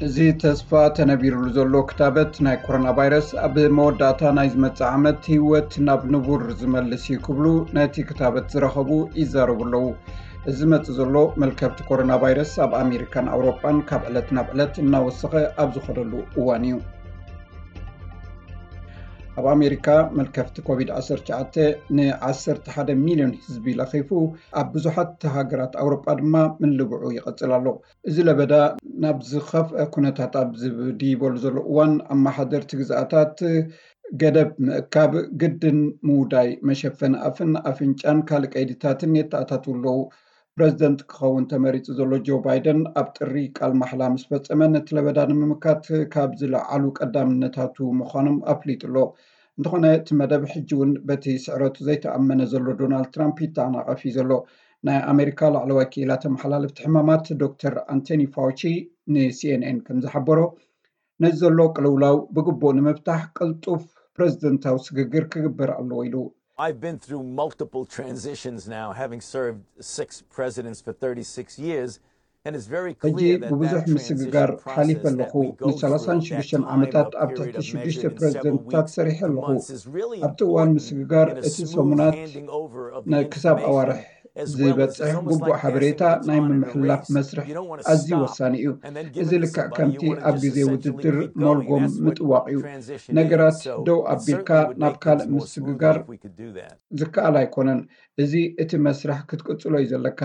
እዚ ተስፋ ተነቢሩሉ ዘሎ ክታበት ናይ ኮሮና ቫይረስ ኣብ መወዳእታ ናይ ዝመጽእ ዓመት ህይወት ናብ ንቡር ዝመልስ እዩ ክብሉ ነቲ ክታበት ዝረኸቡ ይዛረቡ ኣለዉ። እዚ ዝመጽእ ዘሎ መልከፍቲ ኮሮና ቫይረስ ኣብ ኣሜሪካን ኣውሮጳን ካብ ዕለት ናብ ዕለት እናወሰኸ ኣብ ዝኸደሉ እዋን እዩ። ኣብ ኣሜሪካ መልከፍቲ ኮቪድ ዓሰርተ ትሽዓተ ን ዓሰርተ ሓደ ሚልዮን ህዝቢ ለኺፉ፣ ኣብ ብዙሓት ሃገራት ኣውሮጳ ድማ ምልብዑ ይቐጽል ኣሎ። እዚ ለበዳ ናብ ዝኸፍአ ኩነታት ኣብ ዝድይበሉ ዘሎ እዋን፣ ኣመሓደርቲ ግዝኣታት ገደብ ምእካብ ግድን ምውዳይ መሸፈኒ ኣፍን ኣፍንጫን ካልእ ቀይድታትን የተኣታትዉ ኣለዉ። ፕረዚደንት ክኸውን ተመሪጹ ዘሎ ጆ ባይደን ኣብ ጥሪ ቃል ማሕላ ምስ ፈጸመ፣ ነቲ ለበዳ ንምምካት ካብ ዝለዓሉ ቀዳምነታቱ ምዃኖም ኣፍሊጡ ኣሎ። እንተኾነ እቲ መደብ ሕጂ እውን በቲ ስዕረቱ ዘይተኣመነ ዘሎ ዶናልድ ትራምፕ ይተኣናቐፍ እዩ ዘሎ። ናይ ኣሜሪካ ላዕለዋይ ክኢላ ተመሓላለፍቲ ሕማማት ዶክተር ኣንቶኒ ፋውቺ ን ሲኤንኤን ከም ዝሓበሮ፣ ነዚ ዘሎ ቅልውላው ብግቡእ ንምፍታሕ ቅልጡፍ ፕረዚደንታዊ ስግግር ክግበር ኣለዎ ኢሉ። I've been through multiple transitions now, having served six presidents for thirty-six years, and it's very ሕጂ clear that ብብዙሕ that ምስግጋር transition ሓሊፈ process ኣለኹ። that we go through, ንሰላሳን that ሽዱሽተን time ዓመታት of ኣብ ትሕቲ period of ሽዱሽተ measured in several ፕረዚደንትታት weeks ሰሪሐ to ኣለኹ። months is really ኣብቲ እዋን important ምስግጋር in a እቲ smooth ሰሙናት handing over of ን- the ክሳብ ኣዋርሕ information, as well as it's ዝበጽሕ almost ግቡእ like ሓበሬታ passing the ናይ baton in a ምምሕልላፍ race. መስርሕ You don't want to ኣዝዩ stop, ወሳኒ እዩ። but you have እዚ given ልክዕ somebody, ከምቲ you want to ኣብ just ግዜ essentially ውድድር keep going. ሞልጎም That's what ምጥዋቕ እዩ። transition ነገራት is. So ደው ኣቢልካ certainly would ናብ make ካልእ things more ምስግጋር smooth if we could do that. ዝከኣል ኣይኮነን። እዚ እቲ መስርሕ ክትቅጽሎ እዩ ዘለካ።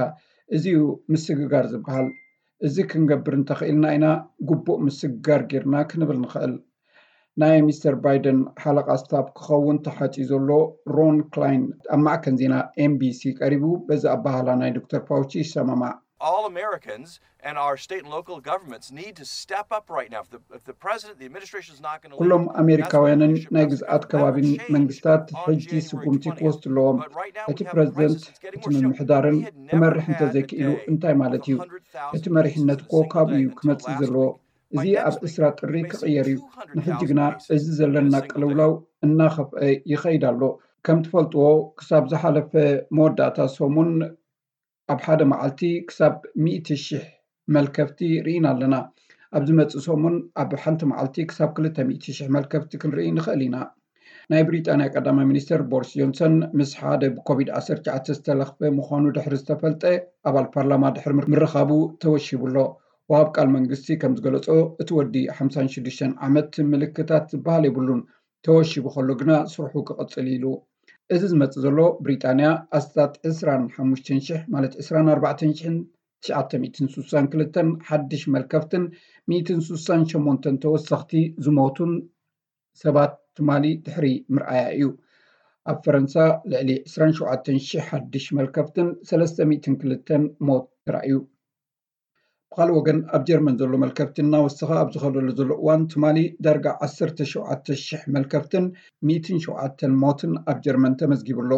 እዚ እዩ ምስግጋር ዝበሃል። እዚ ክንገብር እንተኽኢልና ኢና ግቡእ ምስግጋር ጌርና ክንብል ንኽእል። ናይ ሚስተር ባይደን ሓለቓ ስታፍ ክኸውን ተሓጺ ዘሎ ሮን ክላይን ኣብ ማዕከን ዜና ኤምቢሲ ቀሪቡ፣ በዚ ኣባህላ ናይ ዶክተር ፋውቺ ይሰማማዕ። All Americans and our state and local governments need to step up right now. If the, if the president, the administration is not going to ኩሎም ኣሜሪካውያንን ናይ ግዝኣት ከባቢን መንግስታት ሕጂ ስጉምቲ ክወስዱ ኣለዎም። እቲ ፕረዚደንት፣ እቲ ምምሕዳርን ክመርሕ እንተዘይክኢሉ እንታይ ማለት እዩ? እቲ መሪሕነት እኮ ካብኡ እዩ ክመጽእ ዘለዎ። እዚ ኣብ ዕስራ ጥሪ ክቕየር እዩ። ንሕጂ ግና እዚ ዘለና ቅልውላው እናኸፍአ ይኸይድ ኣሎ። ከም ትፈልጥዎ፣ ክሳብ ዝሓለፈ መወዳእታ ሰሙን ኣብ ሓደ መዓልቲ ክሳብ ሚእቲ ሽሕ መልከፍቲ ርኢና ኣለና። ኣብ ዝመጽእ ሰሙን ኣብ ሓንቲ መዓልቲ ክሳብ ክልተ ሚእቲ ሽሕ መልከፍቲ ክንርኢ ንኽእል ኢና። ናይ ብሪጣንያ ቀዳማይ ሚኒስተር ቦሪስ ጆንሰን ምስ ሓደ ብኮቪድ ዓሰርተ ትሽዓተ ዝተለኽፈ ምዃኑ ድሕሪ ዝተፈልጠ ኣባል ፓርላማ ድሕሪ ምርኻቡ ተወሺቡ ኣሎ። ወሃብ ቃል መንግስቲ ከም ዝገለጾ፣ እቲ ወዲ ሓምሳን ሽዱሽተን ዓመት ምልክታት ዝበሃል የብሉን። ተወሺቡ ከሎ ግና ስርሑ ክቕጽል ኢሉ። እዚ ዝመጽእ ዘሎ ብሪጣንያ ኣስታት ዕስራን ሓሙሽተን ሽሕ ማለት ዕስራን ኣርባዕተን ሽሕን ትሽዓተ ሚእትን ስሳን ክልተን ሓድሽ መልከፍትን ሚእትን ስሳን ሸሞንተን ተወሰኽቲ ዝሞቱን ሰባት ትማሊ ድሕሪ ምርኣያ እዩ። ኣብ ፈረንሳ ልዕሊ ዕስራን ሸውዓተን ሽሕ ሓድሽ መልከፍትን ሰለስተ ሚእትን ክልተን ሞት ተራእዩ። ብኻልእ ወገን ኣብ ጀርመን ዘሎ መልከፍቲ እናወሰኸ ኣብ ዝኸደሉ ዘሎ እዋን ትማሊ ዳርጋ ዓሰርተ ሸውዓተ ሽሕ መልከፍትን ሚእትን ሸውዓተን ሞትን ኣብ ጀርመን ተመዝጊቡ ኣሎ።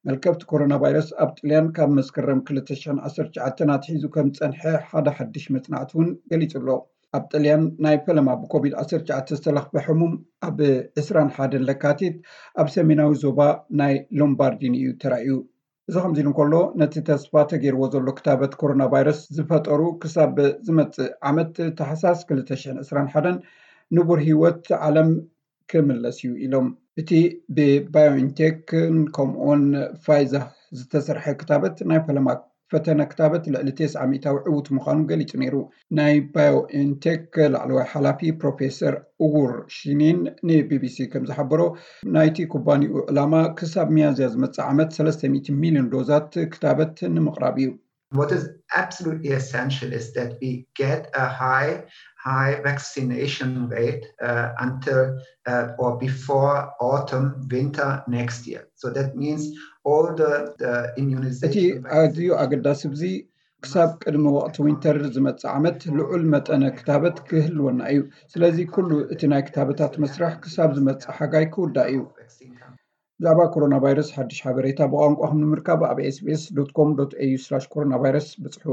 መልከፍቲ ኮሮና ቫይረስ ኣብ ጥልያን ካብ መስከረም ክልተ ሽሕን ዓሰርተ ትሽዓተን ኣትሒዙ ከም ዝጸንሐ ሓደ ሓድሽ መጽናዕቲ እውን ገሊጹ ኣሎ። ኣብ ጥልያን ናይ ፈለማ ብኮቪድ ዓሰርተ ትሽዓተ ዝተለኽፈ ሕሙም ኣብ ዕስራን ሓደን ለካቲት ኣብ ሰሜናዊ ዞባ ናይ ሎምባርዲን እዩ ተራእዩ። እዚ ከምዚ ኢሉ እንከሎ፣ ነቲ ተስፋ ተገይርዎ ዘሎ ክታበት ኮሮና ቫይረስ ዝፈጠሩ ክሳብ ዝመጽእ ዓመት ታሕሳስ ክልተ ሽሕን ዕስራን ሓደን ንቡር ህይወት ዓለም ክምለስ እዩ ኢሎም። እቲ ብባዮንቴክን ከምኡውን ፋይዘር ዝተሰርሐ ክታበት ናይ ፈለማ ፈተነ ክታበት ልዕሊ ተስዓ ሚእታዊ ዕዉት ምዃኑ ገሊጹ ነይሩ። ናይ ባዮንቴክ ላዕለዋይ ሓላፊ ፕሮፌሰር ኡጉር ሺኒን ንቢቢሲ ከም ዝሓበሮ፣ ናይቲ ኩባንያኡ ዕላማ ክሳብ ሚያዝያ ዝመጽእ ዓመት ሰለስተ ሚእቲ ሚልዮን ዶዛት ክታበት ንምቕራብ እዩ። What is absolutely essential is that we get a high, high vaccination rate uh, until uh, or before autumn, winter next year. So that means all the, the እቲ immunization ኣዝዩ vaccines. ኣገዳሲ ብዚ ክሳብ ቅድሚ ወቕቲ ዊንተር ዝመጽእ ዓመት ልዑል መጠነ ክታበት ክህልወና እዩ። ስለዚ ኩሉ እቲ ናይ ክታበታት መስርሕ ክሳብ ዝመጽእ ሓጋይ ክውዳእ እዩ። ብዛዕባ ኮሮና ቫይረስ ሓድሽ ሓበሬታ ብቋንቋኹም ንምርካብ ኣብ ኤስቢኤስ ዶት ኮም ዶት ኤዩ ስላሽ ኮሮና ቫይረስ ብጽሑ።